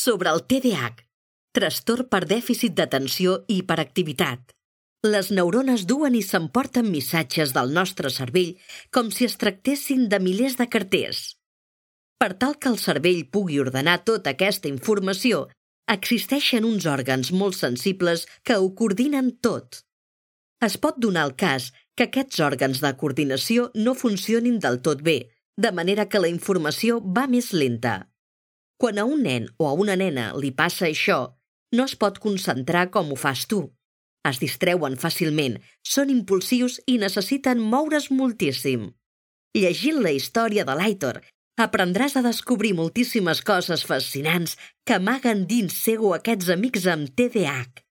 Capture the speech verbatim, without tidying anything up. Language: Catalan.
sobre el T D A H, trastorn per dèficit d'atenció i hiperactivitat. Les neurones duen i s'emporten missatges del nostre cervell com si es tractessin de milers de carters. Per tal que el cervell pugui ordenar tota aquesta informació, existeixen uns òrgans molt sensibles que ho coordinen tot. Es pot donar el cas que aquests òrgans de coordinació no funcionin del tot bé, de manera que la informació va més lenta. Quan a un nen o a una nena li passa això, no es pot concentrar com ho fas tu. Es distreuen fàcilment, són impulsius i necessiten moure's moltíssim. Llegint la història de l'Aitor, aprendràs a descobrir moltíssimes coses fascinants que amaguen dins seu aquests amics amb T D A H.